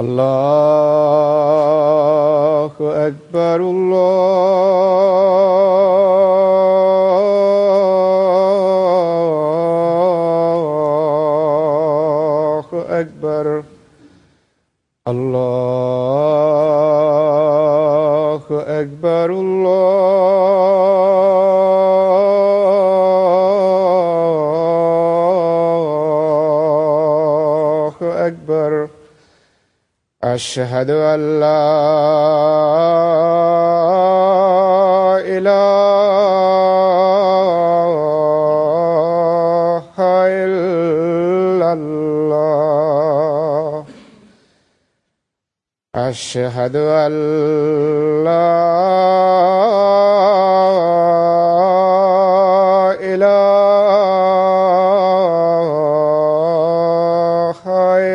الله أكبر الله أكبر الله أكبر الله أكبر أشهد أن لا إله إلا الله أشهد أن لا إله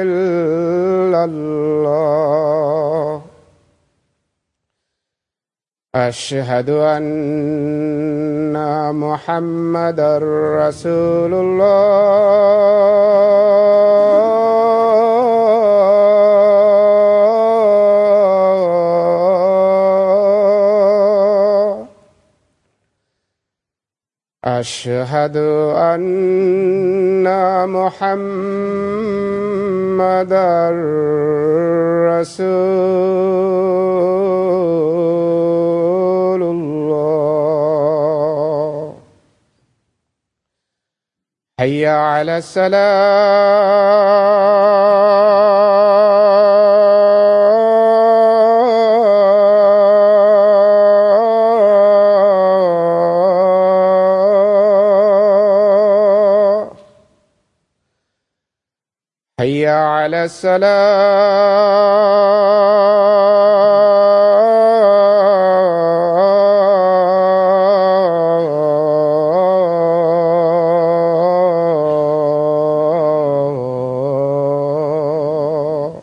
إلا الله أشهد أن محمدا رسول الله أشهد أن محمدا رسول الله حي على السلام حي على السلام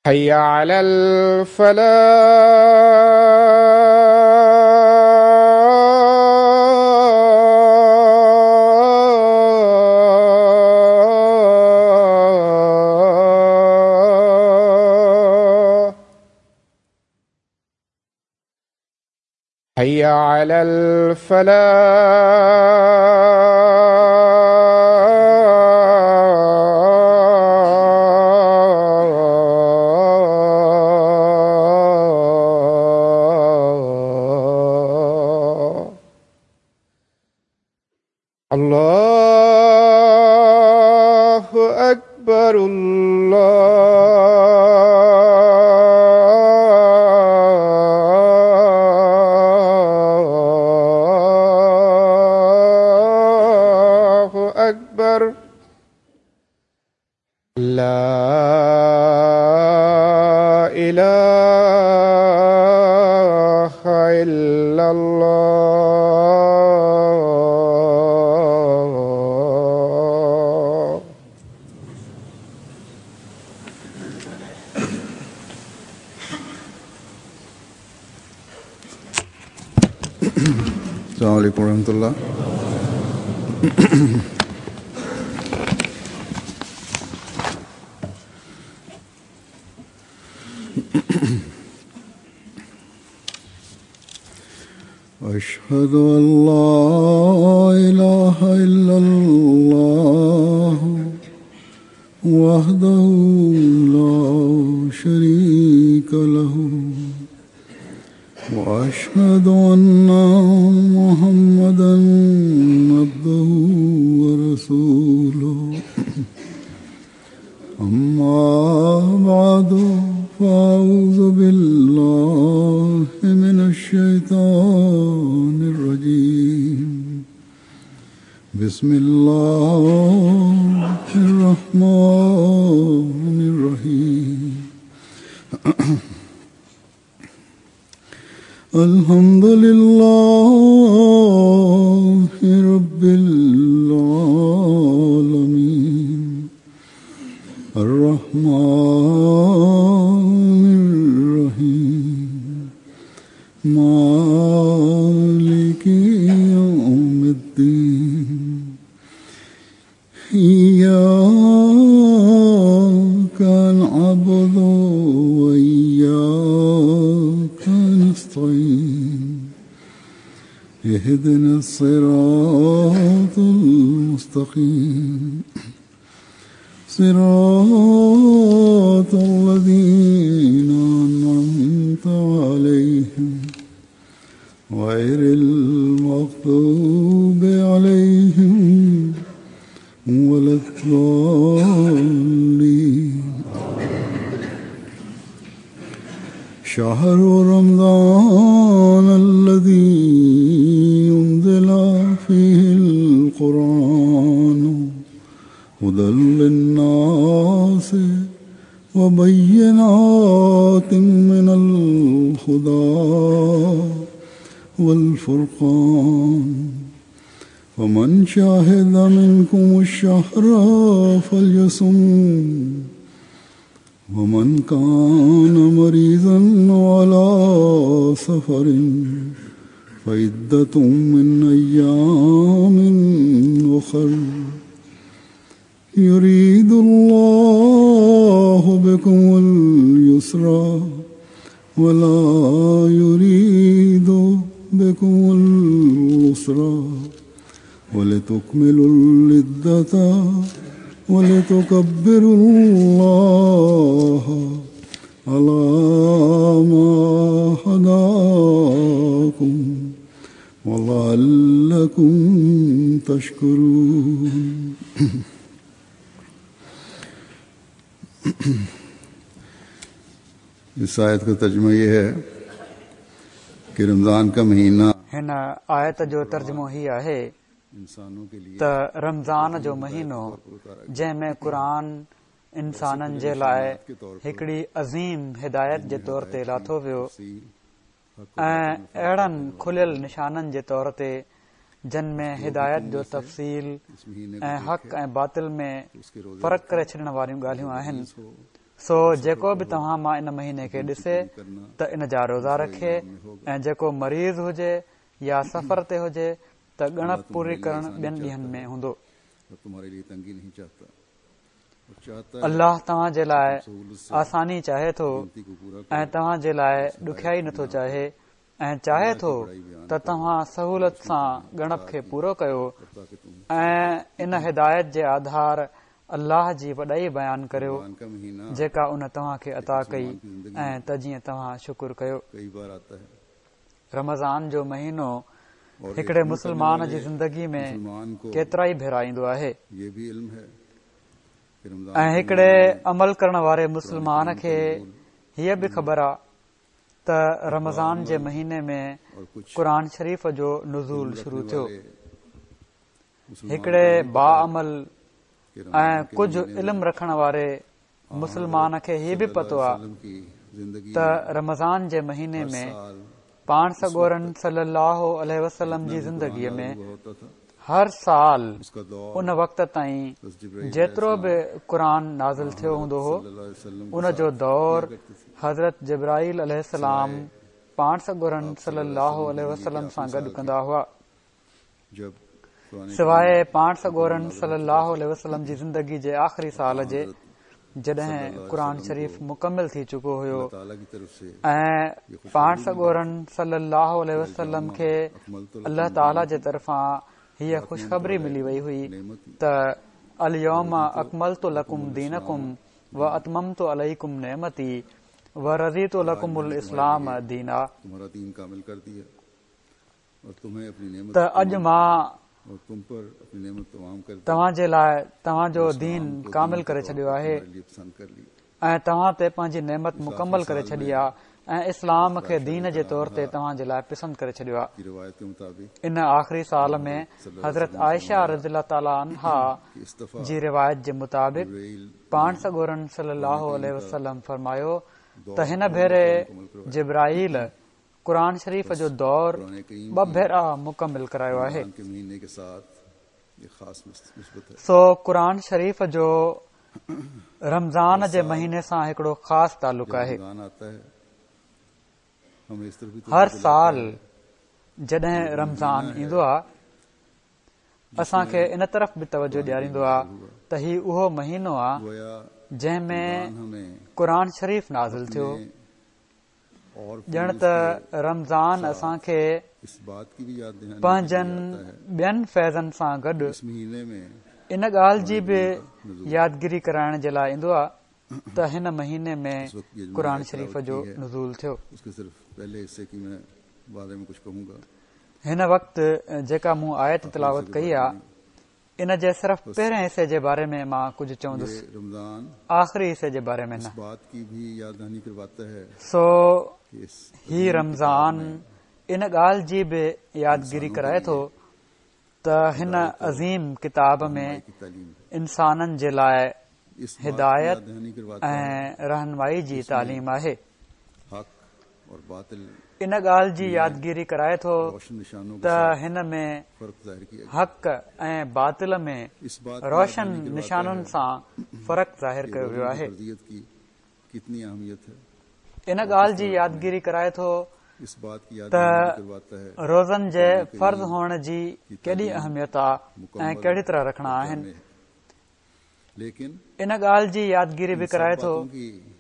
حي على الفلاح حي على الفلاح الله أكبر الله أكبر لا إله إلا الله. السلام عليكم ورحمة الله. أشهد أن لا إله إلا الله وحده لا شريك له وأشهد أن محمدا عبده ورسوله. أما بعد فأعوذ بالله من الشيطان الرجيم. بسم الله الرحمن الرحيم. الحمد لله رب العالمين الرحمن الرحيم مالك يوم الدين إياك اهدنا الصراط المستقيم صراط الذين أنعمت عليهم غير المغضوب عليهم ولا الضالين. شهر رمضان الذي أنزل فيه القرآن هدى للناس وبينات من الهدى والفرقان فمن شهد منكم الشهر فليصم ومن كان مريضا على سفر فعدة من أيام أخر يريد الله بكم اليسر ولا يريد بكم العسر ولتكملوا العدة ولتكبروا الله على ما هداكم ولعلكم تشكرون. इस आयत का तर्जुमा ये है कि रमज़ान का महीना हिन आयत जो तर्जुमो ही आहे त रमज़ान जो महीनो जंहिं में क़ुर इंसाननि जे लाइ हिकिड़ी अज़ीम हिदायत जे तौर ते लाथो वियो ऐं अहिड़नि खुलियल निशाननि जे तौर ते जन में हिदायत जो तफ़सील ऐं हक़ ऐं बातिल में फ़र्क़ु करे छॾण वारियूं ॻाल्हियूं आहिनि। सो जेको बि तव्हां मां इन महीने खे ॾिसे त इन जा रोज़ा रखे ऐं जेको मरीज़ हुजे या सफ़र ते हुजे त ॻणप पूरी करण ॿियनि ॾींहंनि में हूंदो। अल्लाह तव्हां जे लाइ आसानी चाहे थो ऐं तव्हां जे लाइ ॾुखियाई नथो चाहे ऐं चाहे थो त तव्हां सहूलत सां ॻणप खे पूरो कयो ऐं इन हिदायत जे आधार अल्लाह जी वॾाई बयानु करियो जेका उन तव्हां खे अता कई ऐं त जीअं तव्हां शुक्र कयो। रमज़ान जो महीनो हिकिड़े मुस्लमान जी ज़िंदगी में केतिरा ई भेरा ईंदो आहे ऐं हिकिड़े अमल करण वारे मुस्लमान खे हीअ बि ख़बर आहे त रमज़ान जे महीने में क़ुर शरीफ़ जो नुज़ूल शुरू थियो। हिकिड़े बाअमल ऐं कुझु इल्म रखण वारे मुस्लमान खे हीअ बि पतो आहे त रमज़ान जे महीने में पाण सॻोरनि सल्लल्लाहु अलैहि वसल्लम जी ज़िंदगीअ में हर साल उन वक़्त ताईं जेतिरो बि क़ुर नाज़िल थियो हूंदो हो उन जो दौर हज़रत जिब्राइल अलैहिस्सलाम पाण सॻोरनि सल्लल्लाहु अलैहि वसल्लम सां गॾु कंदा हुआ। सवाइ पाण सॻोरनि सल्लल्लाहु अलैहि वसल्लम जी ज़िंदगी जे आख़िरी साल जे जॾहिं क़ुर शरीफ़ मुकमिल थी चुको हुयो ऐं पाण सॻोरनि सल्लल्लाहु अलैहि वसल्लम खे अल्लाह ताला जे तरफ़ां हीअ ख़ुशख़बरी मिली वई हुई त अल-यौम अकमलतु लकुम दीनकुम व अतममतु अलैकुम नेमती व रज़ीतु लकुमुल इस्लाम दीना, त अॼु मां तव्हां जे लाइ तव्हांजो दीन कामिल करे छॾियो आहे ऐं तव्हां ते पंहिंजी नेमत मुकमल करे छॾी आहे ऐं इस्लाम खे दीन जे तौर ते तव्हां जे लाइ पसंदि करे छॾियो आहे। इन आख़िरी साल में हज़रत आयशा रज़ियल्लाहु ताला अन्हा जी रिवायत जे मुताबिक़ पाण सॻोरनि सल्लल्लाहु अलैहि वसल्लम फरमायो त हिन भेरे जिब्राइल क़ुर शरीफ़ जो दौर ॿ भेरा मुकमिल करायो आहे। सो क़ुर शरीफ़ जो रमज़ान जे महीने सां हिकिड़ो ख़ासि तालुक़ आहे। हर साल जॾहिं रमज़ान ईंदो आहे असांखे इन तरफ़ बि तवजो ॾियारींदो आहे त ही उहो महीनो आहे जंहिं में क़ुर शरीफ़ नाज़िल थियो। ॼण त रमज़ान असांखे پنهنجن ٻين فيضن سان گڏ ان ڳالهه جي به يادگيري ڪرائڻ جي لاء ايندو آهي ته هن مهيني ۾ قرآن شريف جو نزول ٿيو. هن وقت جيڪا مون آيت تلاوت ڪئي آهي ان جي صرف پهرين حصي جي باري ۾ مان ڪجهه چوندس، آخري حصي جي باري ۾ نه. سو هي رمضان ان ڳالهه جي به يادگيري ڪرائي ٿو ته هن عظيم ڪتاب ۾ انسانن جي لاء هدايت ۽ رهنمائي جي تعليم آهي. ان ڳالهه جي يادگيري ڪرائي ٿو ته هن ۾ حق ۽ باطل ۾ روشن نشانن سان فرق ظاهر ڪيو ويو آهي. ان ڳالهه جي يادگيري ڪرائي ٿو ته روزن جي فرض هئڻ جي ڪيڏي اهميت آ ۽ ڪهڙي طرح رکڻا آهن. ان ڳالهه جي يادگيري به ڪرائي ٿو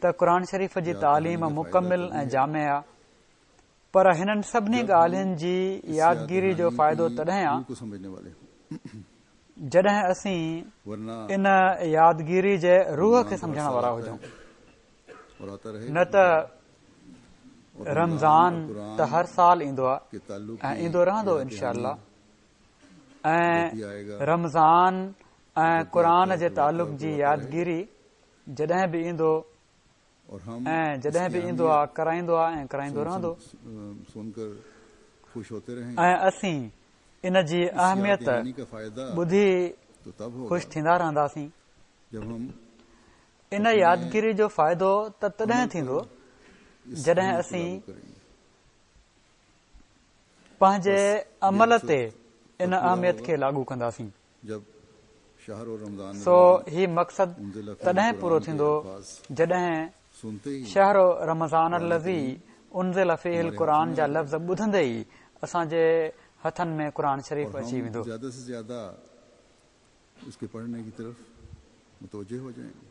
ته قرآن شريف جي تعليم مڪمل ۽ جامع آ پر هنن سڀني ڳالهين جي يادگيري جو فائدو تڏهن آ جڏهن اسين ان يادگيري جي روح کي سمجهڻ وارا هجون نه ته رمضان ته هر سال ايندو آ ۽ ايندو رهندو انشاء الله ۽ رمضان ۽ قرآن جي تعلق جي يادگيري جڏهن به ايندو ۽ جڏهن به ايندو آ ڪرائيندو آ ۽ ڪرائيندو رهندو ۽ اسين ان جي اهميت ٻڌي خوش ٿيندا رهنداسين. ان يادگيري جو فائدو ته تڏهن ٿيندو جڏهن اسين پنهنجي عمل تي ان اهميت کي لاڳو ڪنداسين. سو هي مقصد تڏهن پورو ٿيندو جڏهن شهر رمضان الذي انزل فيه القرآن جا لفظ ٻڌندي ئي اسان جي هٿن ۾ قرآن شريف اچي ويندو.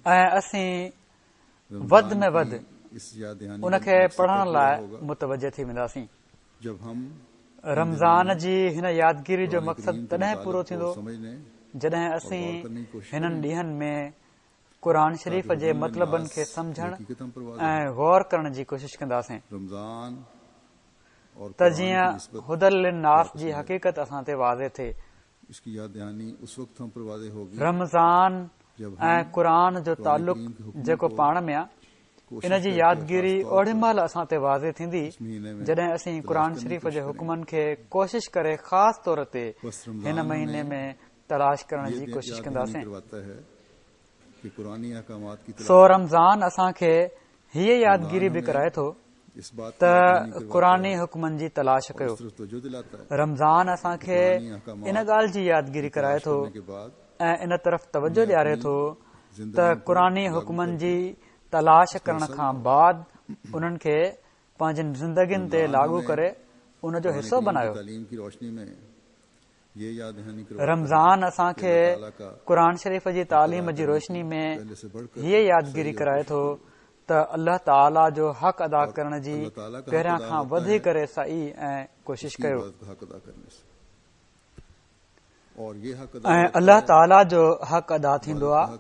۽ اسين وڌ ۾ وڌ ان کي پڙهڻ لاء متوجه ٿي وينداسين. رمضان جي هن يادگيري جو مقصد تڏهن پورو ٿيندو جڏهن اسين هنن ڏينهن ۾ قرآن شريف جي مطلبن کي سمجهڻ ۽ غور ڪرڻ جي ڪوشش ڪنداسين ته جيئن هدي للناس جي حقيقت اسان تي واضح ٿئي. رمضان ۽ قرآن جو تعلق جيڪو پاڻ ۾ آ، ان جي يادگيري اوڏي مهل اسان تي واضح ٿيندي جڏهن اسين قرآن شريف جي حڪمن کي ڪوشش ڪري خاص طور تي هن مهيني ۾ تلاش ڪرڻ جي ڪوشش ڪنداسين. سو رمضان اسان کي هيء يادگيري به ڪرائي ٿو ته قرآني حڪمن جي تلاش ڪيو. رمضان اسان کي ان ڳالهه جي يادگيري ڪرائي ٿو ۽ ان طرف توجه ڏياري ٿو ته قرآني حڪمن جي تلاش ڪرڻ کان بعد انهن کي پنهنجين زندگين تي لاڳو ڪري ان جو حصو بنايو. رمضان اسان کي قرآن شريف جي تعليم جي روشني ۾ هيء يادگيري ڪرائي ٿو ته الله تعاليٰ جو حق ادا ڪرڻ جي پهريان کان وڌي ڪري سعي ۽ ڪوشش ڪيو ۽ الله تعاليٰ جو حق ادا ٿيندو آهي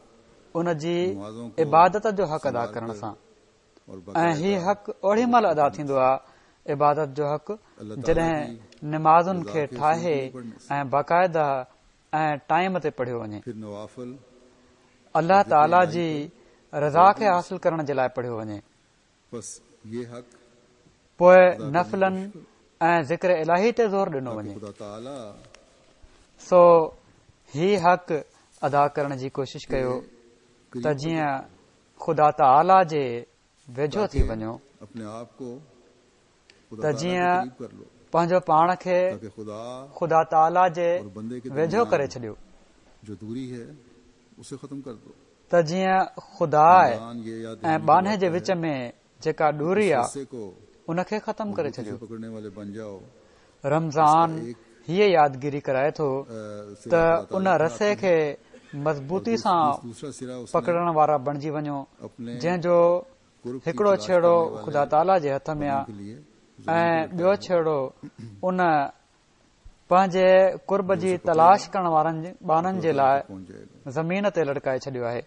ان جي عبادت جو حق ادا ڪرڻ سان ۽ هي حق اوڏي مهل ادا ٿيندو آهي عبادت جو حق جڏهن نمازن کي ٺاهي ۽ باقاعده ۽ ٽائيم تي پڙهيو وڃي الله تعالي جي رضا کي حاصل ڪرڻ جي لاء پڙهيو وڃي پوء نفلن ۽ ذڪر الاهي تي زور ڏنو وڃي سو هي حق ادا ڪرڻ جي ڪوشش ڪيو ته جيئن خدا تعاليٰ جي ويجهو ٿي وڃو ته جيئن پنهنجو پاڻ کي خدا تعاليٰ جي ويجهو ڪري ڇڏيو ته جيئن خدا ۽ ٻانهي جي وچ ۾ جيڪا ڏوري آ ان کي ختم ڪري ڇڏيو. رمضان هيء يادگيري ڪرائي ٿو ته ان رسي کي مضبوطي سان پڪڙڻ وارا بڻجي وڃو جنهن جو هڪڙو ڇيڙو خدا تعاليٰ جي هٿ ۾ آ. ۽ ٻيو ڇيڙو ان پنهنجي قرب جي تلاش ڪرڻ وارن ٻانهن جي لاء زمين تي لڙڪائي ڇڏيو آهي.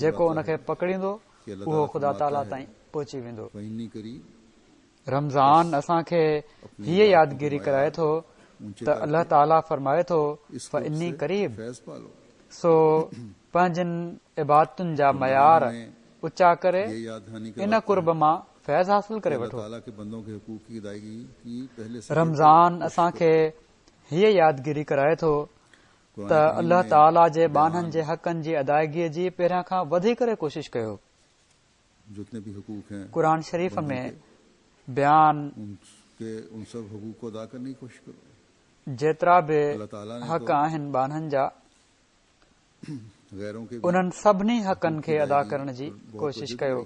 جيڪو ان کي پڪڙيندو اهو خدا تعاليٰ تائين پهچي ويندو. رمضان اسان کي هيء يادگيري ڪرائي ٿو ته الله تعاليٰ فرمائي ٿو فاني قريب سو پنهنجن عبادتن جا معيار اچا ڪري ان قرب مان فيض حاصل ڪري وٺو. رمضان اسان کي هيء يادگيري ڪرائي ٿو ته الله تعاليٰ جي ٻانهن جي حقن جي ادائگيء جي پهريان کان وڌي ڪري ڪوشش ڪيو. قرآن شريف ۾ بيان جيترا به حق آهن ٻانهن جا انهن سڀني حقن کي ادا ڪرڻ جي ڪوشش ڪيو.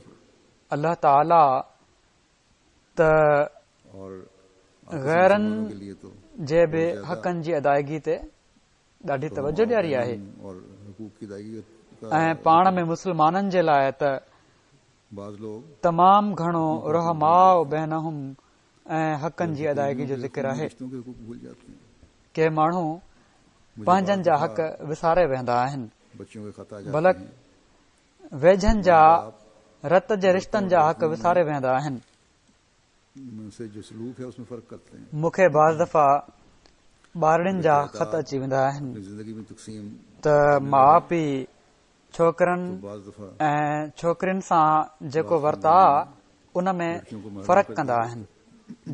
الله تعاليٰ ته غيرن جي به حقن جي ادائگي تي ڏاڍي توجه ڏياري آهي ۽ پاڻ ۾ مسلمانن جي لاء ته تمام گهڻو رحماء بينهم ۽ حقن جي ادائگي جو ذڪر آهي. ڪي ماڻهو پنهنجن جا حق وساري ويهندا آهن، بلڪ ويجهن جا رت جي رشتن جا حق وساري ويهندا آهن. مون کي بعض دفعا ٻارڙين جا خط اچي ويندا آهن ته ماء پيء ڇوڪرن ۽ ڇوڪرين سان جيڪو ورتاء ان ۾ فرق ڪندا آهن.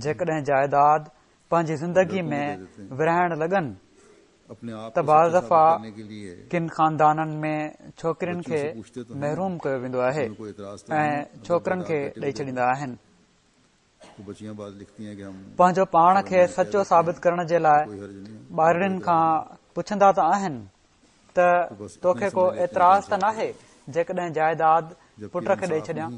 جيڪڏهن جائيداد پنهنجي زندگي ۾ ورهائڻ لڳن ته بعض دفعا ڪن خاندانن ۾ ڇوڪرين کي محروم ڪيو ويندو آهي ۽ ڇوڪرن کي ڏئي ڇڏيندا آهن. پنهنجو پاڻ کي سچو ثابت ڪرڻ جي لاء ٻارڙين کان پڇندا ته آهن ته توکي ڪو اعتراض ته ناهي جيڪڏهن جائيداد پٽ کي ڏئي ڇڏيان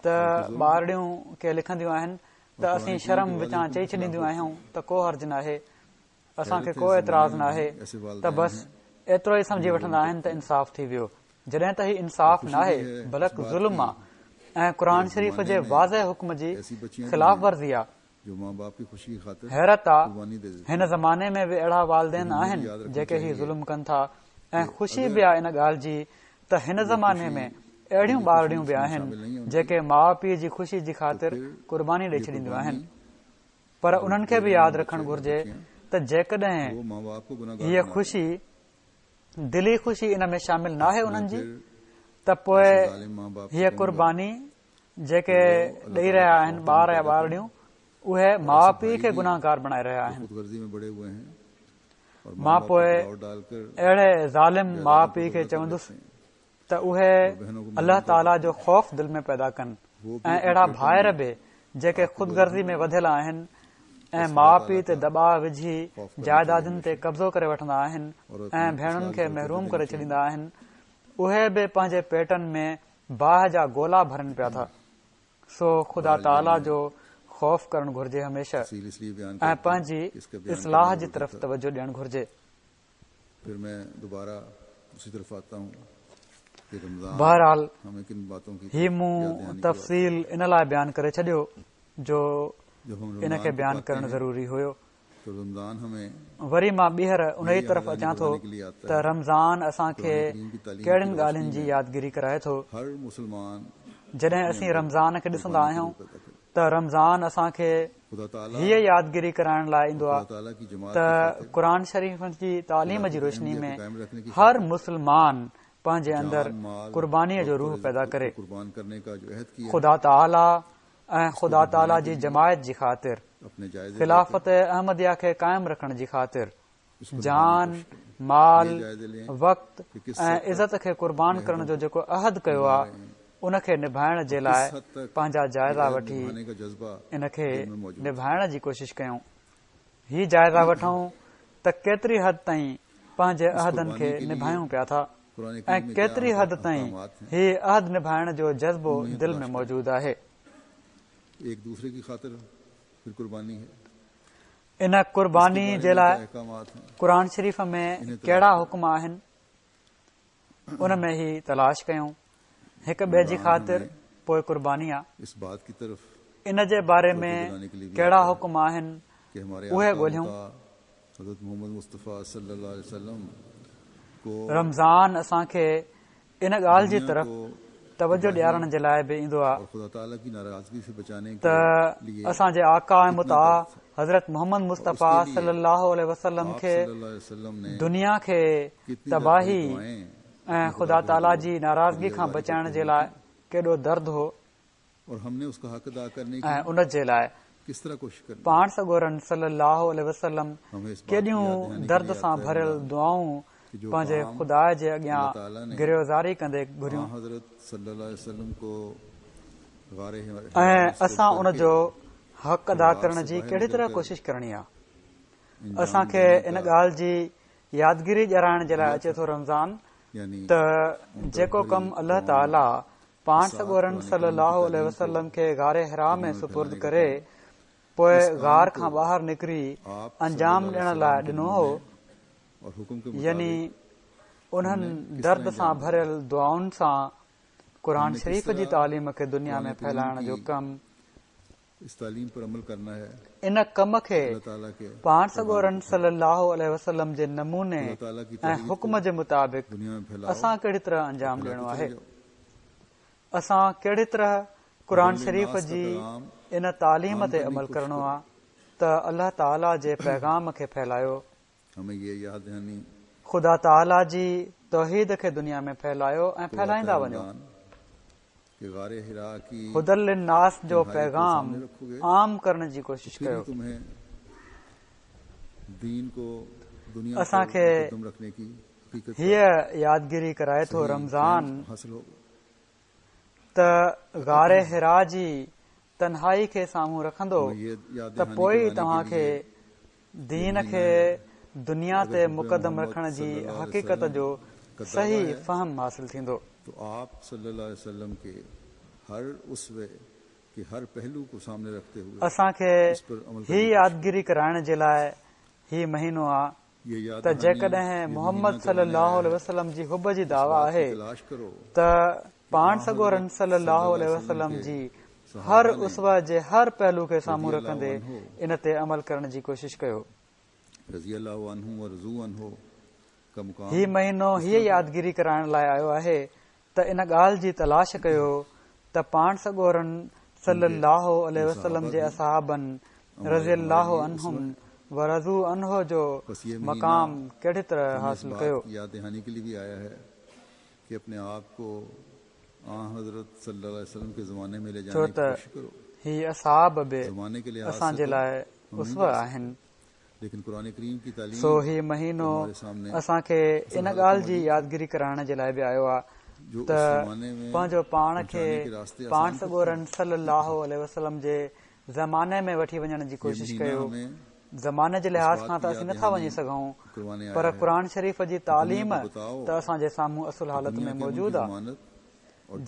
ته ٻارڙيون ڪي لکنديون آهن ته اسين شرم وچان چئي ڇڏينديون آهيون ته ڪو حرج ناهي اسان کي ڪو اعتراض ناهي ته بس ايترو ئي سمجهي وٺندا آهن ته انصاف ٿي ويو جڏهن ته هي انصاف ناهي بلڪ ظلم آ ۽ قرآن شريف جي واضح حڪم جي خلاف ورزي آ. حيرت آ هن زماني ۾ به اهڙا والدين آهن جيڪي هي ظلم ڪن ٿا ۽ خوشي به آ ان ڳالهه جي ته هن زماني ۾ اهڙيون ٻارڙيون به آهن جيڪي ماء پيء جي خوشي جي خاطر قرباني ڏئي ڇڏينديون آهن. پر انهن کي به ياد رکڻ گهرجي ته جيڪڏهن هيء خوشي دلي خوشي ان ۾ شامل ناهي انهن جي ته پوء هيء قرباني جيڪي ڏئي رهيا آهن ٻار يا ٻارڙيون اهي ماء پيء کي گناهگار بڻائي رهيا آهن. مان پوء اهڙي ظالم ماء پيء کي چوندس ته اهي الله تعاليٰ جو خوف دل ۾ پيدا ڪن ۽ اهڙا ڀائر به جيڪي خود غرضي ۾ وڌيل آهن ۽ ماء پيء تي دٻاء وجهي جائدادن تي قبضو ڪري وٺندا آهن ۽ ڀيڻن کي محروم ڪري ڇڏيندا آهن اهي به پنهنجي پيٽن ۾ باهه جا گولا ڀرن پيا ٿا سو خدا تعاليٰ جو خوف ڪرڻ گهرجي هميشه ۽ پنهنجي اصلاح جي طرف توجه ڏيڻ گهرجي. بهرحال هي مون تفصيل ان لاء بيان ڪري ڇڏيو جو ان کي بيان ڪرڻ ضروري هيو. وري مان ٻيهر انهيء طرف اچان ٿو ته رمضان اسان کي ڪهڙين ڳالهين جي يادگيري ڪرائي ٿو. جڏهن اسين رمضان کي ڏسندا آهيون ته رمضان اسان کي هيء يادگيري ڪرائڻ لاء ايندو آهي ته قرآن شريف جي تعليم جي روشني ۾ هر مسلمان پنهنجي اندر قربانيء جو روح پيدا ڪري. خدا تعاليٰ ۽ خدا تعاليٰ جي جماعت جي خاطر، خلافت احمديه کي قائم رکڻ جي خاطر، جان، مال، وقت ۽ عزت کي قربان ڪرڻ جو جيڪو عهد ڪيو آ، ان کي نڀائڻ جي لاء پنهنجا جائزا وٺي ان کي نڀائڻ جي ڪوشش ڪيون. هي جائزا وٺون ته ڪيتري حد تائين پنهنجي عهدن کي نڀايون پيا ٿا ۽ ڪيتري حد تائين هي عهد نڀائڻ جو جذبو دل ۾ موجود آهي. ان قرباني جي لاء قرآن شريف ۾ ڪهڙا حڪم آهن ان ۾ هي تلاش ڪيون هڪ ٻئي جي خاطر پوء قرباني آ. ان جي باري ۾ ڪهڙا حڪم آهن اهي ڳولهيون. رمضان اسان کي ان ڳالهه جي طرف توجه ڏيارڻ جي لاء به ايندو آهي ته اسان جي آقا ۽ مطاع حضرت محمد مصطفيٰ صلي الله عليه وسلم کي دنيا کي تباهي ۽ خدا تعاليٰ جي ناراضگي کان بچائڻ جي لاء ڪيڏو درد هو. ۽ ان جي لاء پاڻ سڳورن صلّي اللّٰه عليه وسلّم ڪيڏيون درد سان ڀريل دعائون پنهنجي خدا جي اڳيان گريه و زاري ڪندي گهريون ۽ اسان ان جو حق ادا ڪرڻ جي ڪهڙي طرح ڪوشش ڪرڻي آهي. اسان کي ان ڳالهه جي يادگيري ڏيارائڻ جي لاء اچي ٿو رمضان ته جيڪو ڪم الله تعاليٰ پاڻ سڳورن صلّي اللّٰه عليه وسلّم کي غار حرا ۾ سپرد ڪري پوء غار کان ٻاهر نڪري انجام ڏيڻ لاء ڏنو هو، يعني انهن درد سان ڀريل دعائن سان قرآن شريف جي تعليم کي دنيا ۾ ڦهلائڻ جو ڪم، ان ڪم کي پاڻ سڳورن صلّي اللّٰه عليه وسلّم جي نموني ۽ حڪم جي مطابق اسان ڪهڙي طرح انجام ڏيڻو آهي؟ اسان ڪهڙي طرح قرآن شريف جي ان تعليم تي عمل ڪرڻو آهي ته الله تعاليٰ جي پيغام کي ڦهلايو، خدا تعاليٰ جي توحيد کي دنيا ۾ ڦهلايو ۽ ڦهلائيندا وڃو. هدي للناس جو پيغام عام ڪرڻ جي ڪوشش ڪيو. اسان کي هيء يادگيري ڪرائي ٿو رمضان ته غار حرا جي تنهائي کي سامهون رکندو ته پوء ئي توهان کي دين کي دنيا تي مقدم رکڻ جي حقيقت جو صحيح فهم حاصل ٿيندو. اسان کي هي يادگيري ڪرائڻ جي لاء هي مهينو آ ته جيڪڏهن محمد صلي الله عليه وسلم جي حب جي دعويٰ آهي ته پاڻ سڳورن صلي الله عليه وسلم جي هر اسوه جي هر پهلو کي سامهون رکندي ان تي عمل ڪرڻ جي ڪوشش ڪيو. هي مهينو هيء يادگيري ڪرائڻ لاء آيو آهي ته ان ڳالهه جي تلاش ڪيو ته پاڻ سڳورن صلّي اللّٰه عليه وسلّم جي اصحابن رضي الله عنهم ورضوا عنه جو مقام ڪهڙي طرح حاصل ڪيو. ڇو ته هي اصحاب به اسان جي لاء اسوه آهن. سو هي مهينو اسان کي ان ڳالهه جي يادگيري ڪرائڻ جي لاء به آيو آهي ته پنهنجو پاڻ کي پاڻ سڳورن صلي الله عليه وسلم جي زماني ۾ وٺي وڃڻ جي ڪوشش ڪيو. زماني جي لحاظ کان ته اسين نٿا وڃي سگهون پر قرآن شريف جي تعليم ته اسان جي سامهون اصل حالت ۾ موجود آهي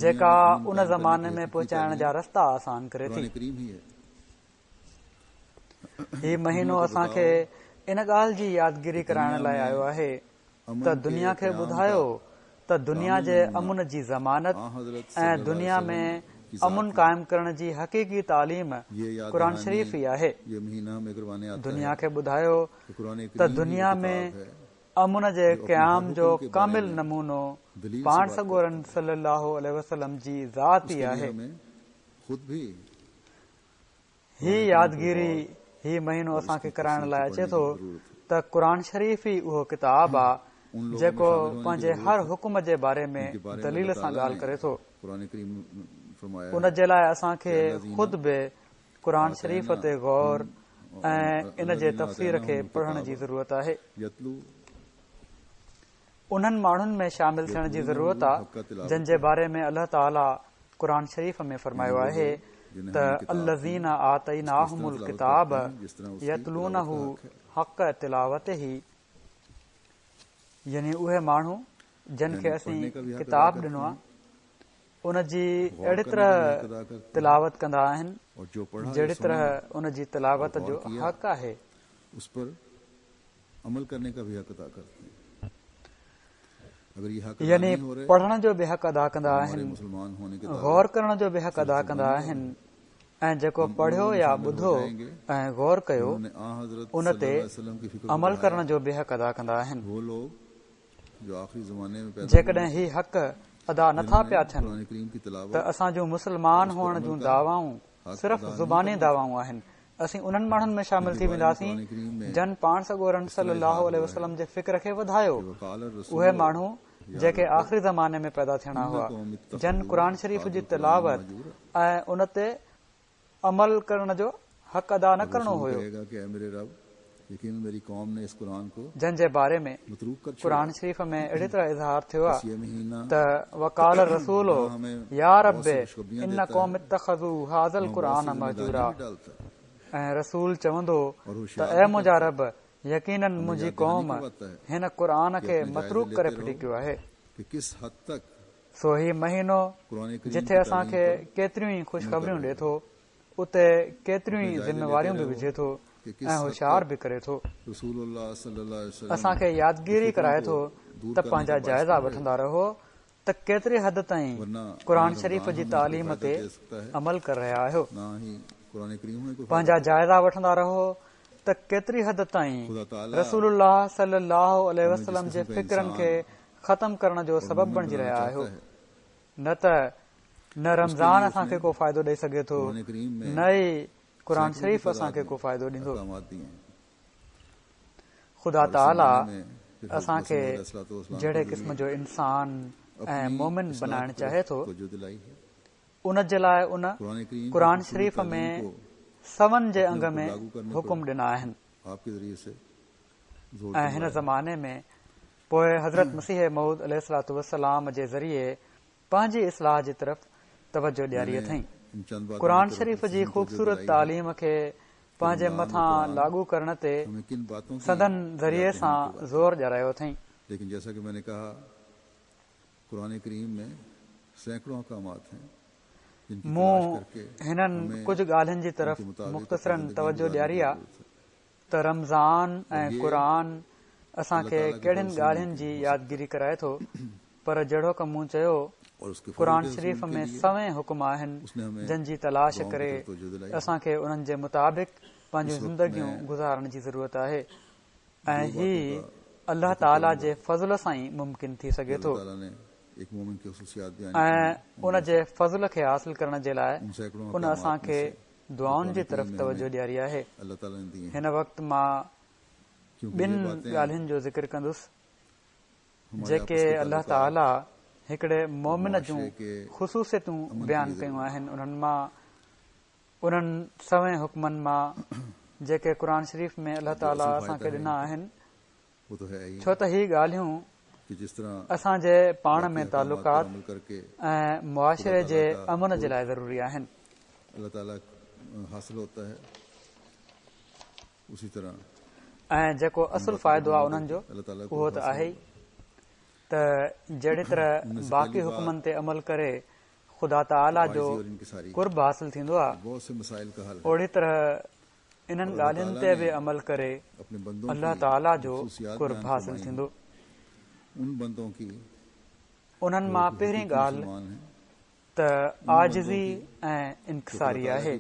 جيڪا ان زماني ۾ پهچائڻ جا رستا آسان ڪري ٿي. هي مهينو اسان کي ان ڳالهه جي يادگيري ڪرائڻ لاء آيو آهي ته دنيا کي ٻڌايو ته دنيا جي امن جي ضمانت ۽ دنيا ۾ امن قائم ڪرڻ جي حقيقي تعليم قرآن شريف ئي آهي. دنيا کي ٻڌايو ته دنيا ۾ امن جي قيام جو ڪامل نمونو پاڻ سڳورن صلي الله عليه وسلم جي ذات ئي آهي. هي يادگيري هي مهينو اسان کي ڪرائڻ لاء اچي ٿو ته قرآن شريف ئي اهو ڪتاب آ جيڪو پنهنجي هر حڪم جي باري ۾ دليل سان ڳالهه ڪري ٿو. ان جي لاء اسان کي خود به قرآن شريف تي غور ۽ ان جي تفسير کي پڙهڻ جي ضرورت آهي. انهن ماڻهن ۾ شامل ٿيڻ جي ضرورت آ جن جي باري ۾ الله تعالي قرآن شريف ۾ فرمايو آهي ته الذين آتيناهم الڪتاب يتلونه حق تلاوته يعني اهي ماڻهو جن کي اسين ڪتاب ڏنو آ ان جي اهڙي طرح تلاوت ڪندا آهن جهڙي طرح ان جي تلاوت جو حق آهي. عمل ڪرني ڪا ڀي حق ادا ڪرتي هين. يعني پڙهڻ جو به حق ادا ڪندا آهن، غور ڪرڻ جو به حق ادا ڪندا آهن ۽ جيڪو پڙهيو يا ٻڌو ۽ غور ڪيو ان تي عمل ڪرڻ جو به حق ادا ڪندا آهن. جيڪڏهن هي حق ادا نٿا پيا ٿين ته اسان جون مسلمان هئڻ جون دعوائون صرف زباني دعوائون آهن. اسين انهن ماڻهن ۾ شامل ٿي وينداسين جن پاڻ سڳورن صلي الله عليه وسلم جي فڪر کي وڌايو. اهي ماڻهو جيڪي آخري زماني ۾ پيدا ٿيڻا هئا، جن قرآن شريف جي تلاوت ۽ ان تي عمل ڪرڻ جو حق ادا نه ڪرڻو هيو. جن جي باري ۾ قرآن شريف ۾ اهڙي طرح اظهار ٿيو آهي ته وقال الرسول يا رب ان قومي اتخذوا هذا القرآن مهجورا ۽ رسول چوندو ته اي منهنجا رب يقيناً منهنجي قوم هن قرآن کي متروڪ ڪري ڦٽي ڪيو آهي. سو هي مهينو جٿي اسان کي ڪيتريون ئي خوشخبريون ڏي ٿو اتي ڪيتريون ئي ذميواريون به وجهي ٿو ۽ هوشيار به ڪري ٿو. اسان کي يادگيري ڪرائي ٿو ته پنهنجا جائزا وٺندا رهو ته ڪيتري حد تائين قرآن شريف جي تعليم تي عمل ڪري رهيا آهيو. پنهنجا جائزا وٺندا رهو ته ڪيتري حد تائين رسول الله صلي الله عليه وسلم جي فڪرن کي ختم ڪرڻ جو سبب بڻجي رهيا آهيو. نه ته نه رمضان اسان کي ڪو فائدو ڏئي سگهي ٿو نه ئي قرآن شريف اسان کي ڪو فائدو ڏيندو. خدا تعاليٰ اسان کي جهڙي قسم جو انسان ۽ مومن بنائڻ چاهي ٿو ان جي لاء ان قرآن شريف ۾ سون جي انگ ۾ حڪم ڏنا آهن ۽ هن زماني ۾ پوء حضرت مسيح موعود عليه الصلوة والسلام جي ذريعي پنهنجي اصلاح جي طرف توجه ڏياري اٿئين. قرآن شريف جي خوبصورت تعليم کي پنهنجي مٿان لاڳو ڪرڻ تي سندن ذريعي سان زور ڏيارايو اٿئين. مون هنن ڪجهه ڳالهين جي طرف مختصراً توجه ڏياري آ. ته رمضان ۽ قرآن اسان کي ڪهڙين ڳالهين جي يادگيري ڪرائي ٿو پر جهڙوڪ مون چيو قرآن شريف ۾ سوين حڪم آهن جن جي تلاش ڪري اسان کي انهن جي مطابق پنهنجون زندگيون گذارڻ جي ضرورت آهي ۽ هي الله تعالي جي فضل سان ئي ممڪن ٿي سگهي ٿو ۽ ان جي فضل کي حاصل ڪرڻ جي لاء ان اسان کي دعائن جي طرف توجه ڏياري آهي. هن وقت مان ٻن ڳالهين جو ذڪر ڪندس جيڪي الله تعالي هڪڙي مؤمن جون خصوصيتون بيان ڪيون آهن انهن مان انهن سوين حڪمن مان جيڪي قرآن شريف ۾ الله تعالي اسان کي ڏنا آهن ڇو ته هي ڳالهيون اسان جي پاڻ ۾ تعلقات ۽ معاشري جي امن جي لاء ضروري آهن. ۽ جيڪو اصل فائدو آهي انهن جو اهو ته آهي ئي ته جهڙي طرح باقي حڪمن تي عمل ڪري خدا تعاليٰ جو قرب حاصل ٿيندو آهي اوڙي طرح انهن ڳالهين تي به عمل ڪري الله تعاليٰ جو قرب حاصل ٿيندو. انهن مان پهرين ڳالهه ته عاجزي ۽ انڪساري آهي.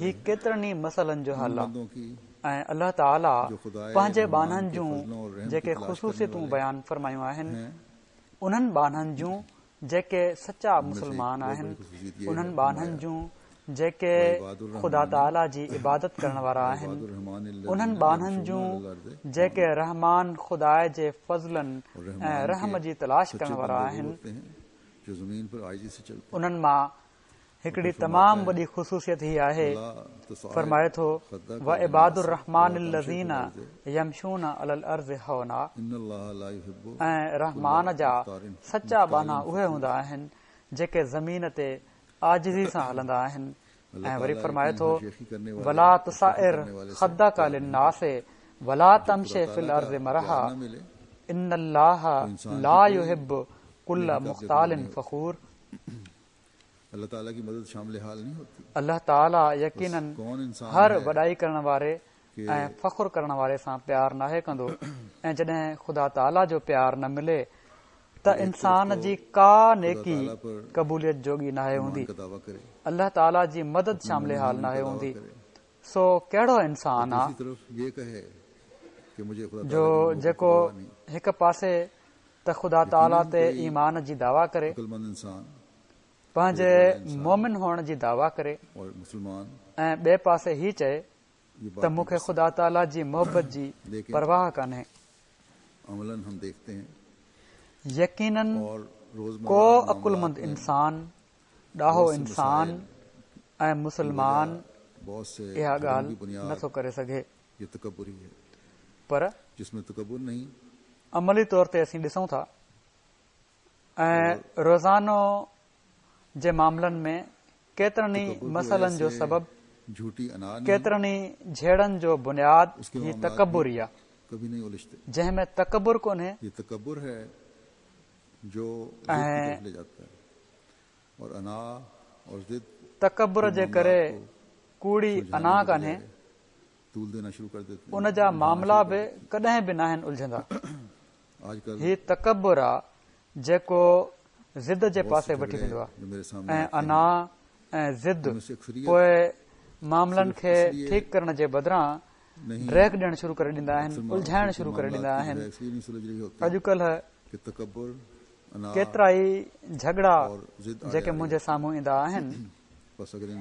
هي ڪيترن ئي مسئلن جو حل آهي ۽ الله تعاليٰ پنهنجي ٻانهن جون جيڪي خصوصيتون بيان فرمايون آهن، انهن ٻانهن جون جيڪي سچا مسلمان آهن، انهن ٻانهن جون جيڪي خدا تعاليٰ جي عبادت ڪرڻ وارا آهن، انهن ٻانهن جون جيڪي رحمان خدا جي فضلن ۽ رحم جي تلاش ڪرڻ وارا آهن، انهن مان هڪڙي تمام وڏي خصوصيت هي آهي، فرمائي ٿو، وعباد الرحمان الذين يمشون علي الارض هونا ۽ رحمان جا سچا ٻانها اهي هوندا آهن جيڪي زمين تي عاجزي سان هلندا آهن ۽ وري فرمائي ٿو، ولا تصعر خدک للناس ولا تمش في الارض مرحا ان الله لا يحب ڪل مختال فخور. الله تعاليٰ يقيناً هر وڏائي ڪرڻ واري ۽ فخر ڪرڻ واري سان پيار ناهي ڪندو ۽ جڏهن خدا تعاليٰ جو پيار نه ملي ته انسان جي ڪا نيڪي قبوليت جوڳي ناهي هوندي، الله تعاليٰ جي مدد شامل حال ناهي هوندي، سو ڪهڙو انسان آ جو جيڪو هڪ پاسي ته خدا تعاليٰ تي ايمان جي دعويٰ ڪري، پنهنجي مؤمن هئڻ جي دعويٰ ڪري ۽ ٻئي پاسي هي چئي ته مون کي خدا تعاليٰ جي محبت جي پرواهه ڪانهي. يقيناً ڪو عقلمند انسان، ڏاهو انسان ۽ مسلمان اها ڳالهه نه ٿو ڪري سگهي. پر عملي طور تي اسين ڏسون ٿا ۽ روزانو جي معاملن ۾ ڪيترن ئي مسئلن جو سبب، ڪيترن ئي جهيڙن جو بنياد هي تڪبر ئي آ. جنهن ۾ تڪبر ڪونهي ۽ تڪبر جي ڪري ڪوڙي انا ڪانهي، ان جا معاملا به ڪڏهن به ناهن الجهندا. هي تڪبر آ جيڪو ضد جي پاسي وٺي ويندو آ ۽ انا ۽ ضد پوء معاملن کي ٺيڪ ڪرڻ جي بدران ڊيگهه ڏيڻ شروع ڪري ڏيندا آهن، الجهائڻ شروع ڪري ڏيندا آهن. اڄڪلهه ڪيترائي جهڳڙا جيڪي منهنجي سامهون ايندا آهن،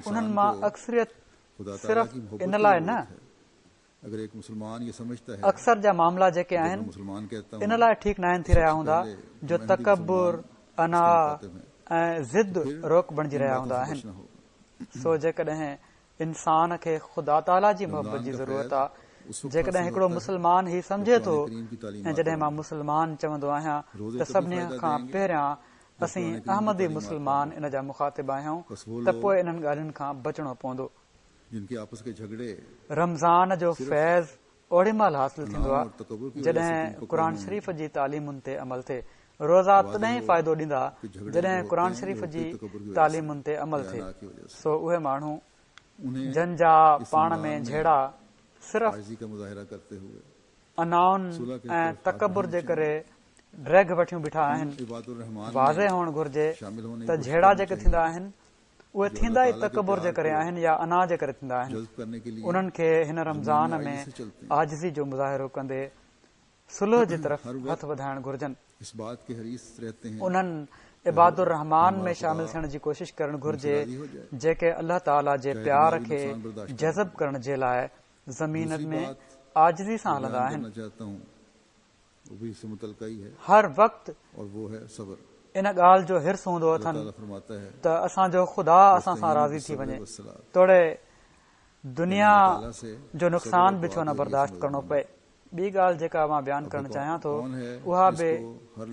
انهن مان اڪثريت صرف ان لاء نه اڪثر جا معاملا جيڪي آهن ان لاء ٺيڪ ناهن ٿي رهيا هوندا جو تڪبر، انا ۽ ضد روڪ بڻجي رهيا هوندا آهن. سو جيڪڏهن انسان کي خدا تعاليٰ جي محبت جي ضرورت آ، جيڪڏهن هڪڙو مسلمان هي سمجهي ٿو ۽ جڏهن مان مسلمان چوندو آهيان ته سڀني کان پهريان اسين احمدي مسلمان ان جا مخاطب آهيون ته پوء انهن ڳالهين کان بچڻو پوندو. رمضان جو فيض اوڏي مهل حاصل ٿيندو آهي جڏهن قرآن شريف جي تعليمن تي عمل ٿئي. روزا تڏهن ئي فائدو ڏيندا جڏهن قرآن شريف جي تعليمن تي عمل ٿئي. سو اهي ماڻهو جن جا پاڻ ۾ جهيڙا صرف انائن ۽ تڪبر جي ڪري ڊيگهه وٺيون بيٺا آهن، واضح هئڻ گهرجي ته جهيڙا جيڪي ٿيندا آهن اهي ٿيندا ئي تڪبر جي ڪري آهن يا انا جي ڪري ٿيندا آهن. انهن کي هن رمضان ۾ عاجزي جو مظاهرو ڪندي صلح جي طرف هٿ وڌائڻ گهرجن. انهن عباد الرحمان ۾ شامل ٿيڻ جي ڪوشش ڪرڻ گهرجي جيڪي الله تعالي جي پيار کي جذب ڪرڻ جي لاء زمين ۾ عاجزي سان هلندا آهن. هر وقت ان ڳالهه جو حرص هوندو اٿن ته اسان جو خدا اسان سان راضي ٿي وڃي توڙي دنيا جو نقصان به ڇو نه برداشت ڪرڻو پئي. ٻي ڳالهه جيڪا مان بيان ڪرڻ چاهيان ٿو اها به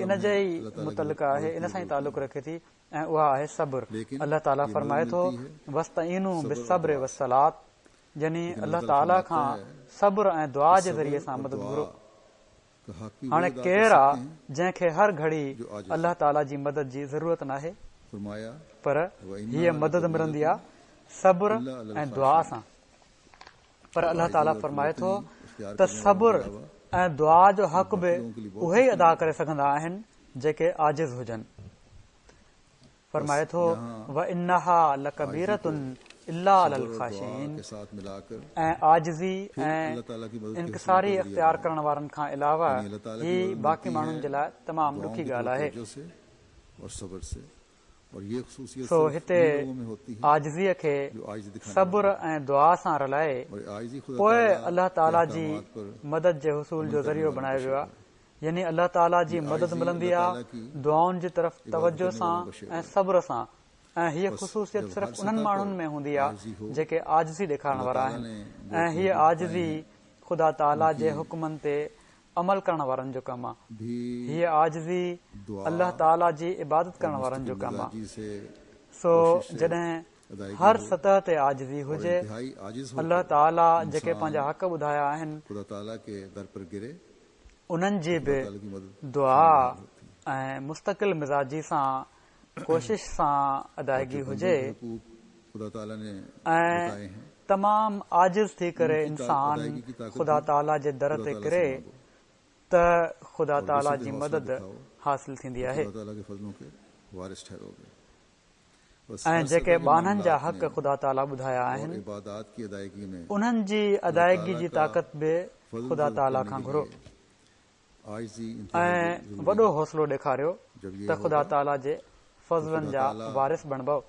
ان جي ئي متعلق آهي، ان سان ئي تعلق رکي ٿي ۽ اها آهي صبر. الله تعاليٰ فرمائي ٿو، واستعينوا بالصبر والصلوة يعني الله تعاليٰ کان صبر ۽ دعا جي ذريعي سان مدد گهرو. هاڻي ڪير آ جنهن کي هر گهڙي الله تعاليٰ جي مدد جي ضرورت ناهي؟ پر هيء مدد ملندي آ صبر ۽ دعا سان. پر الله تعاليٰ فرمائي ٿو ته صبر ۽ دعا جو حق به اهي ئي ادا ڪري سگهندا آهن جيڪي عاجز هجن. فرمائي ٿو، وانها لڪبيرة الا علي الخاشعين ۽ عاجزي ۽ انڪساري اختيار ڪرڻ وارن کان علاوه هي باقي ماڻهن جي لاء تمام ڏکي ڳالهه آهي. سو هتي عاجزيء کي صبر ۽ دعا سان رلائي پوء الله تعالي جي مدد جي حصول جو ذريعو بڻايو ويو آهي. يعني الله تعاليٰ جي مدد ملندي آ دعائن جي طرف توجه سان ۽ صبر سان ۽ هيء خصوصيت صرف انهن ماڻهن ۾ هوندي آ جيڪي عاجزي ڏيکارڻ وارا آهن ۽ هيء عاجزي خدا تعاليٰ جي حڪمن تي عمل ڪرڻ وارن جو ڪم آ. هيء عاجزي الله تعاليٰ جي عبادت ڪرڻ وارن جو ڪم آ. سو جڏهن هر سطح تي عاجزي هجي، الله تعاليٰ جيڪي پنهنجا حق ٻڌايا آهن، انهن جي به دعا ۽ مستقل مزاجي سان ڪوشش سان ادائگي هجي ۽ تمام عاجز ٿي ڪري انسان خدا تعاليٰ جي در تي ڪري ته خدا تعاليٰ جي مدد حاصل ٿيندي آهي. ۽ جيڪي ٻانهن جا حق خدا تعاليٰ ٻڌايا آهن، انهن جي ادائگي جي طاقت به خدا تعاليٰ کان گهرو ۽ وڏو حوصلو ڏيکاريو ته خدا تعاليٰ جي فضلن جا وارث بڻبؤ.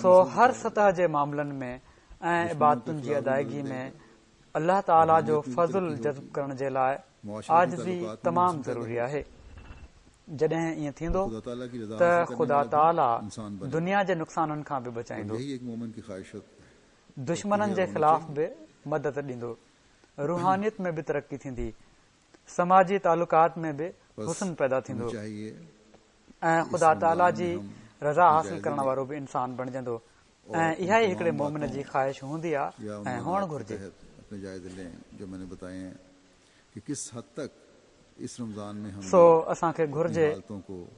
سو هر سطح جي معاملن ۾ ۽ عبادتن جي ادائگي ۾ الله تعاليٰ جو فضل جذب ڪرڻ جي لاء عاجزي تمام ضروري آهي. جڏهن ائين ٿيندو ته خدا تعاليٰ دنيا جي نقصانن کان به بچائيندو، دشمنن جي خلاف به مدد ڏيندو، روحانيت ۾ به ترقي ٿيندي، سماجي تعلقات ۾ به حسن پيدا ٿيندو ۽ خدا تعاليٰ جي رضا حاصل ڪرڻ وارو به انسان بڻجندو ۽ اها ئي هڪڙي مؤمن جي خواهش هوندي آ ۽ هئڻ گهرجي. سو اسان کي گهرجي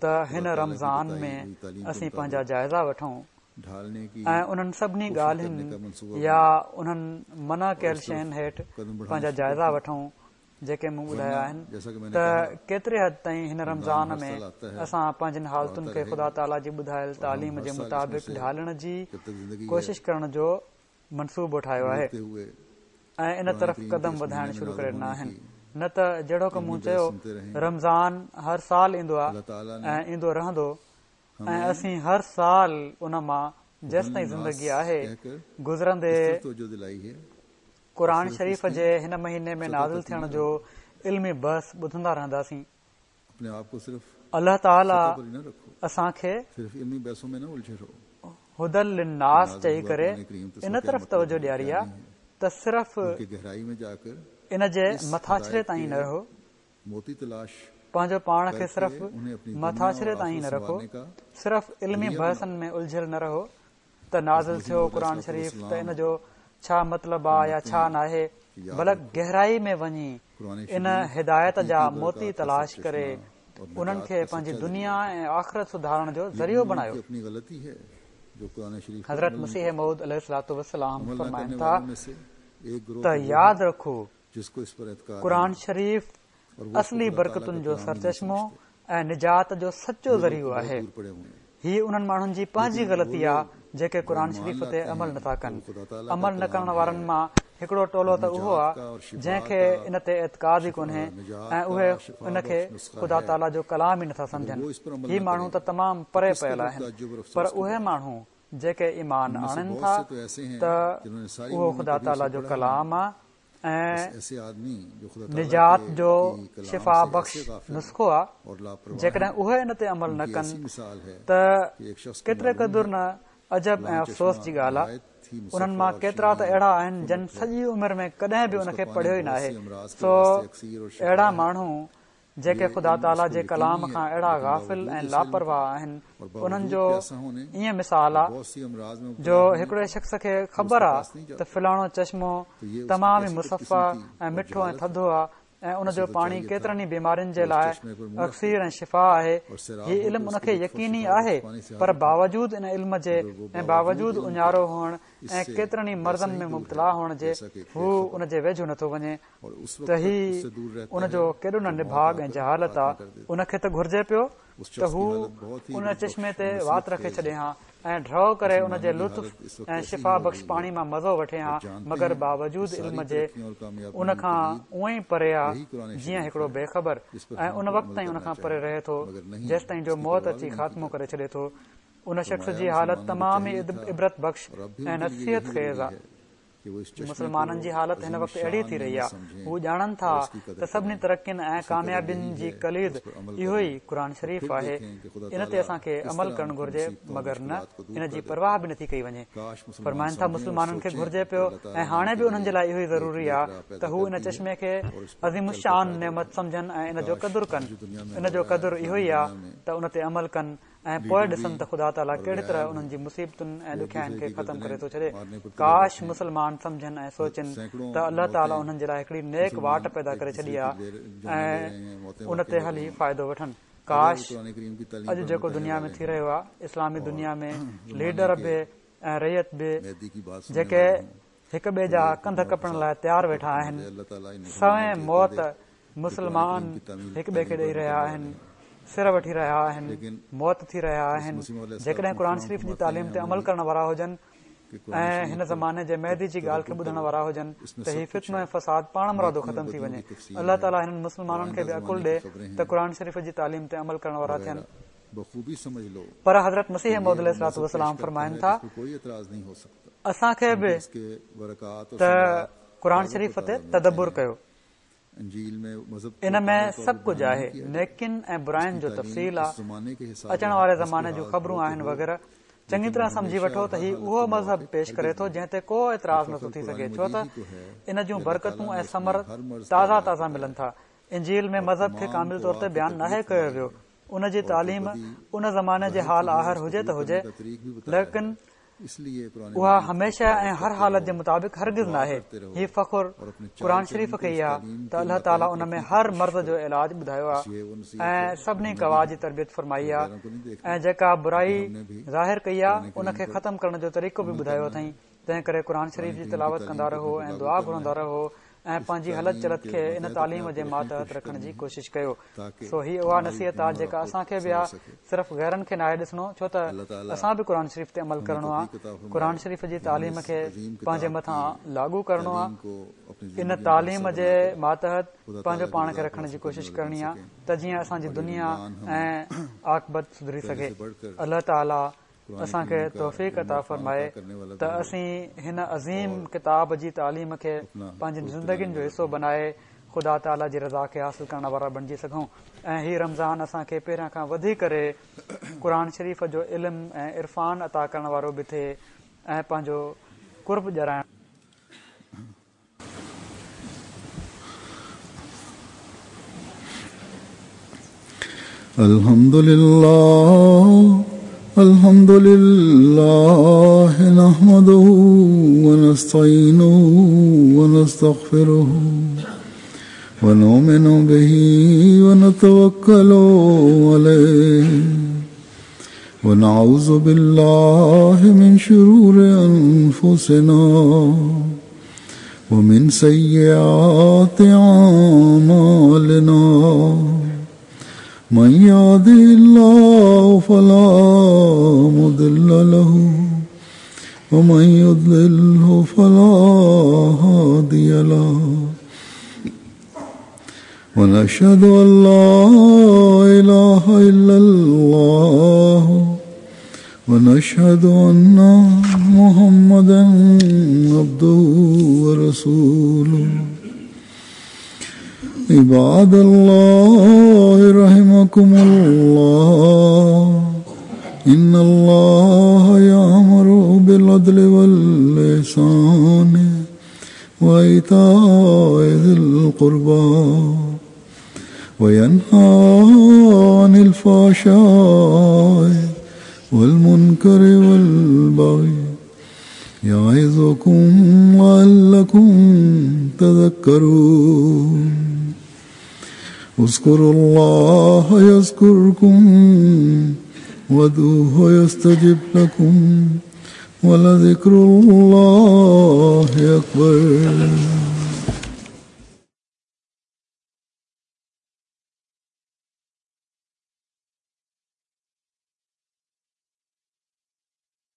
ته هن رمضان ۾ اسين پنهنجا جائزا وٺون ۽ انهن سڀني ڳالهين يا انهن منع ڪيل شين هيٺ پنهنجا جائزا وٺون جيڪي مون ٻڌايا آهن ته ڪيتري حد تائين هن رمضان ۾ اسان پنهنجين حالتن کي خدا تعاليٰ جي ٻڌايل تعليم جي مطابق ڍالڻ جي ڪوشش ڪرڻ جو منصوبو ٺاهيو آهي ۽ ان طرف قدم وڌائڻ شروع ڪري ڏنا آهن نه ته جهڙوڪ مون چيو رمضان هر سال ايندو آهي ۽ ايندو رهندو ۽ اسين هر سال ان مان جيستائين زندگي آهي گذرندي قرآن شريف جي هن مهيني ۾ نازل ٿيڻ جو علمي بحث ٻڌندا رهنداسين. الله تعالي اسان کي هدي للناس چئي ڪري ان طرف توجه ڏياري آ ته صرف ان جي مٿاڇري تائين نه رهو، پنهنجو پاڻ کي صرف مٿاڇري تائين نه رکو، صرف علمي بحثن ۾ الجهيل نه رهو ته نازل ٿيو قرآن شريف ته ان جو ڇا مطلب آ يا ڇا ناهي، بلڪ گهرائي ۾ وڃي ان هدايت جا موتي تلاش ڪري انهن کي پنهنجي دنيا ۽ آخرت سڌارڻ جو ذريعو بڻايو. حضرت مسيح موعود عليه الصلوة والسلام فرمائن ٿا ته ياد رکو قرآن شريف اصلي برڪتن جو سرچشمو ۽ نجات جو سچو ذريعو آهي. هي انهن ماڻهن جي پنهنجي غلطي آ جيڪي قرآن شريف تي عمل نٿا ڪن. عمل نه ڪرڻ وارن مان هڪڙو ٽولو ته اهو آ جنهن کي ان تي اعتقاد ئي ڪونهي ۽ اهي ان کي خدا تعاليٰ جو ڪلام ئي نٿا سمجهن. هي ماڻهو ته تمام پري پيل آهن. پر اهي ماڻهو جيڪي ايمان آڻين ٿا ته اهو خدا تعاليٰ جو ڪلام آ ۽ نجات جو شفا بخش نسخو آ، جيڪڏهن اهي ان تي عمل نه ڪن ته ڪيتري قدر نه عجب ۽ افسوس جي ڳالهه آ. انهن مان ڪيترا ته اهڙا آهن جن سڄي عمر ۾ ڪڏهن به ان کي پڙهيو ئي ناهي، سو اهڙا ماڻهو جيڪي خدا تعاليٰ جي ڪلام کان اهڙا غافل ۽ لاپرواهه آهن، انهن جو ائين مثال آ جو هڪڙي شخص کي خبر آ ته فلاڻو چشمو تمام ئي مصفا ۽ مٺو ۽ ٿڌو آ ۽ ان جو پاڻي ڪيترن ئي بيمارين جي لاء اڪسير ۽ شفا آهي، هي علم ان کي يقيني آهي پر باوجود ان علم جي ۽ باوجود اڃارو هئڻ ۽ ڪيترن ئي مرضن ۾ مبتلا هئڻ جي هو ان جي ويجهو نٿو وڃي. ته هي ان جو ڪيڏو نه نڀاڳ ۽ جهالت آ، ان کي ته گهرجي پيو ته هو ان چشمي تي وات رکي ڇڏي هان ۽ ڍؤ ڪري ان جي لطف ۽ شفا بخش پاڻي مان مزو وٺي هان، مگر باوجود علم جي ان کان اونئن ئي پري آ جيئن هڪڙو بي خبر ۽ ان وقت تائين ان کان پري رهي ٿو جيستائين جو موت اچي خاتمو ڪري ڇڏي ٿو. ان شخص جي حالت تمام ئي عبرت بخش ۽ نصيحت خيز آ. مسلمانن جي حالت هن وقت اهڙي ٿي رهي آهي، هو ڄاڻن ٿا ته سڀني ترقين ۽ ڪاميابين جي ڪليد اهو ئي قرآن شريف آهي، ان تي اسان کي عمل ڪرڻ گهرجي مگر نه ان جي پرواهه به نٿي ڪئي وڃي. فرمائن ٿا مسلمانن کي گهرجي پيو ۽ هاڻي به انهن جي لاء اهو ئي ضروري آهي ته هو ان چشمي کي عظيم الشان نعمت سمجهن ۽ ان جو قدر ڪن، ان جو قدر اهو ئي آهي ته ان تي عمل ڪن ۽ پوء ڏسن ته خدا تعاليٰ ڪهڙي طرح انهن جي مصيبتن ۽ ڏکيائين کي ختم ڪري ٿو ڇڏي. ڪاش مسلمان سمجهن ۽ سوچين ته الله تعاليٰ انهن جي لاء هڪڙي نيڪ واٽ پيدا ڪري ڇڏي آهي ۽ ان تي هلي فائدو وٺن. ڪاش اڄ جيڪو دنيا ۾ ٿي رهيو آهي، اسلامي دنيا ۾ ليڊر به ۽ رعيت به جيڪي هڪ ٻئي جا ڪنڌ ڪپڻ لاء تيار ويٺا آهن، سوين موت مسلمان هڪ ٻئي کي ڏئي رهيا آهن، سر وٺي رهيا آهن، موت ٿي رهيا آهن، جيڪڏهن قرآن شريف جي تعليم تي عمل ڪرڻ وارا هجن ۽ هن زماني جي مهدي جي ڳالهه کي ٻڌڻ وارا هجن ته هي فتنو ۽ فساد پاڻمرادو ختم ٿي وڃي. الله تعاليٰ هنن مسلمانن کي به عقل ڏي ته قرآن شريف جي تعليم تي عمل ڪرڻ وارا ٿين. پر حضرت مسيح موعود عليه الصلوة والسلام فرمائن ٿا، اسان کي به ته قرآن شريف تي تدبر ڪيو. ان ۾ سڀ ڪجهه آهي، نيڪين ۽ براين جو تفصيل آ، اچڻ واري زماني جون خبرون آهن وغيره. چڱي طرح سمجهي وٺو ته هي اهو مذهب پيش ڪري ٿو جنهن تي ڪو اعتراض نٿو ٿي سگهي ڇو ته ان جون برڪتون ۽ ثمر تازا تازا ملن ٿا. انجيل ۾ مذهب کي ڪامل طور تي بيان ناهي ڪيو ويو. ان جي تعليم ان زماني جي حال آهر هجي ته هجي ليڪن اها هميشه ۽ هر حالت جي مطابق هرگز ناهي. هي فخر قرآن شريف کي ئي آ ته الله تعاليٰ ان ۾ هر مرض جو علاج ٻڌايو آ ۽ سڀني قوا جي تربيت فرمائي آ ۽ جيڪا برائي ظاهر ڪئي آ ان کي ختم ڪرڻ جو طريقو به ٻڌايو اٿائين. تنهن ڪري قرآن شريف جي تلاوت ڪندا رهو ۽ دعا گهرندا رهو ۽ پنهنجي هلت چلت کي ان تعليم جي ماتحت رکڻ جي ڪوشش ڪيو. سو هي اها نصيحت آ جيڪا اسان کي به آ، صرف غيرن کي ناهي ڏسڻو، ڇو ته اسان به قرآن شريف تي عمل ڪرڻو آ، قرآن شريف جي تعليم کي پنهنجي مٿان لاڳو ڪرڻو آ، ان تعليم جي ماتحت پنهنجو پاڻ کي رکڻ جي ڪوشش ڪرڻي آ ته جيئن اسان جي دنيا ۽ عاقبت سڌري سگهي. الله تعالي اسان کي توفيق عطا فرمائي ته اسين هن عظيم ڪتاب جي تعليم کي پنهنجين زندگين جو حصو بنائي خدا تعاليٰ جي رضا کي حاصل ڪرڻ وارا بڻجي سگهون ۽ هي رمضان اسان کي پهريان کان وڌي ڪري قرآن شريف جو علم ۽ عرفان عطا ڪرڻ وارو به ٿئي ۽ پنهنجو قرب ڏيارائڻ الحمد لله الحمد لله نحمده ونستعينه ونستغفره ونؤمن به ونتوكل عليه ونعوذ بالله من شرور أنفسنا ومن سيئات أعمالنا من يهده الله فلا مضل له ومن يضلله فلا هادي له ونشهد أن لا إله إلا الله ونشهد أن محمدا عبده ورسوله عباد الله رحمكم الله إن الله يأمر بالعدل والإحسان وإيتاء ذي القربى وينهى عن الفحشاء والمنكر والبغي يعظكم لعلكم تذكرون اذكروا الله يذكركم وادعوه يستجب لكم ولذكر الله